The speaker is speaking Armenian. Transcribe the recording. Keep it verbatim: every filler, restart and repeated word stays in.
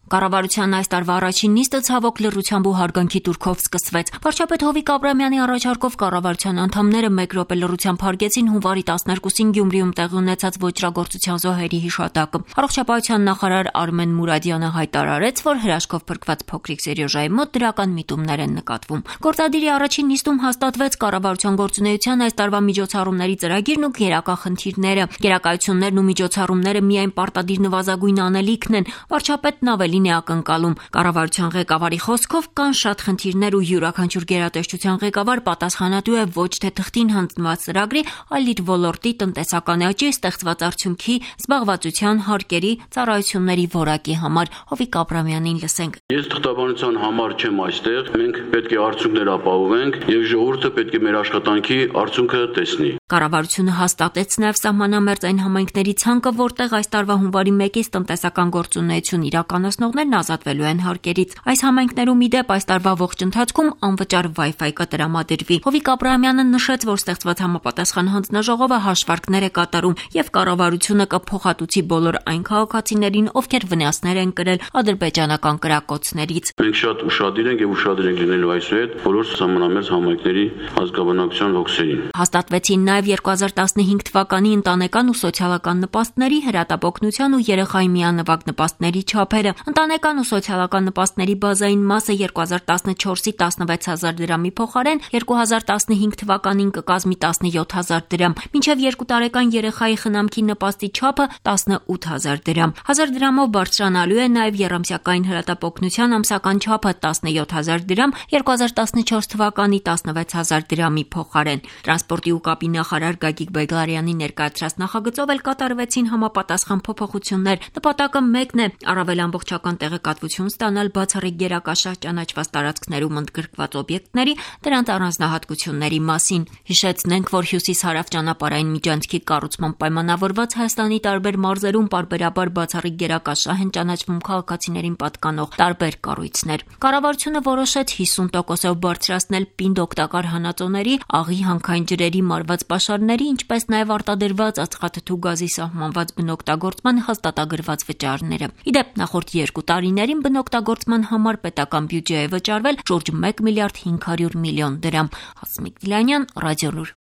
Կառավարության այս տարվա առաջին նիստը ցավոք լռությամբ ու հարգանքի տուրքով սկսվեց։ Վարչապետ Հովիկ Աբրահամյանի առաջարկով կառավարության անդամները մեկ րոպե լռությամբ հարգեցին հունվարի տասներկուսին Գյումրիում տեղի ունեցած ոճրագործության զոհերի հիշատակը։ Առողջապահության նախարար Արմեն Մուրադյանը հայտարարեց, որ հրաշքով փրկված փոքրիկ Սերյոժայի մոտ դրական միտումներ են նկատվում։ Գործադիրի առաջին նիստում հաստատվեց կառավարության գործունեության այս տարվա միջոցառումների ծրագիրն ու գերակա խնդիրները։ Գերակայություններն ու միջոցառումները միայն պարտադիր նվազագույն անելիքն են։ Վարչապետն ավելի է ակնկալում։ Կառավարության ղեկավարի խոսքով կան շատ խնդիրներ ու յուրաքանչյուր գերատեսչության ղեկավար պատասխանատու է ոչ թե թղթին հանձնված ծրագրի, այլ իր ոլորտի տնտեսական աճի, ստեղծված արդյունքի, զբաղվածության, հարկերի, ծառայությունների որակի համար։ Հովիկ Աբրահամյանին լսենք։ Ես թղթաբանության համար չեմ այստեղ, մենք պետք է արդյունքներ ապահովենք եւ ժողովուրդը պետք է մեր աշխատանքի արդյունքը տեսնի։ Կառավարությունը հաստատեց նաև սահմանամերձ այն համայնքների ցանկը, որտեղ այս տարվա հունվարի մեկից տնտեսական գործունեություն իրականացնողներն ազատվելու են հարկերից։ Այս համայնքներում ի դեպ այս տարվա ողջ ընթացքում անվճար Wi-Fi կտրամադրվի։ Հովիկ Աբրահամյանը նշեց, որ ստեղծված համապատասխան հանձնաժողովը հաշվարկներ է կատարում եւ կառավարությունը կփոխհատուցի բոլոր այն քաղաքացիներին, ովքեր վնասներ են կրել ադրբեջանական կրակոցներից։ Մենք շատ ուշադիր ենք եւ ուշադիր ենք լինելու այսուհետ բոլոր սահմանամերձ համայնքների ազգաբնակության հոգսերին։ Հաստատվեցին նաև երկու հազար տասնհինգ թվականի ընտանեկան ու սոցիալական նպաստների, հրատապօգնության ու երեխայի միանվագ նպաստների չափերը։ Ընտանեկան ու սոցիալական նպաստների բազային մասը երկու հազար տասնչորսի տասնվեց հազար դրամի փոխարեն երկու հազար տասնհինգ թվականին կկազմի տասնյոթ հազար դրամ, մինչև երկու տարեկան երեխայի խնամքի նպաստի չափը տասնութ հազար դրամ։ Հազար դրամով բարձրանալու է նաև եռամսյակային հրատապօգնության ամսական չափը տասնյոթ հազար դրամ, երկու հազար տասնչորս թվականի տասնվեց հազար դրամի փոխարեն։ Տրանսպորտի ու կապի նախարար Գագիկ Բեգլարյանի ներկայացրած նախագծով էլ կատարվեցին համապատասխան փոփոխություններ։ Նպատակը մեկն է՝ առավել ամբողջական տեղեկատվություն ստանալ բացառիկ գերակաշահ ճանաչված տարածքներում ընդգրկված օբյեկտների, դրանց առանձնահատկությունների մասին։ Հիշեցնենք, որ հյուսիս-հարավ ճանապարհային միջանցքի կառուցման պայմանավորված Հայաստանի տարբեր մարզերում պարբերաբար բացառիկ գերակաշահ են ճանաչվում քաղաքացիներին պատկանող տարբեր կառույցներ։ Կառավարությունը որոշեց հիսուն տոկոսով բարձրացնել պինդ օգտակար հանածոների, աղի հանքային ջրերի մարված պաշարների, ինչպես նաև արտադրված ածխաթթու գազի սահմանված բնօգտագործման հաստատագրված վճարները։ Ի դեպ, նախորդ երկու տարիներին բնօգտագործման համար պետական բյուջե է վճարվել շուրջ մեկ միլիարդ հինգ հարյուր միլիոն դրամ։ Հասմիկ Դիլանյան, Ռադիոլուր։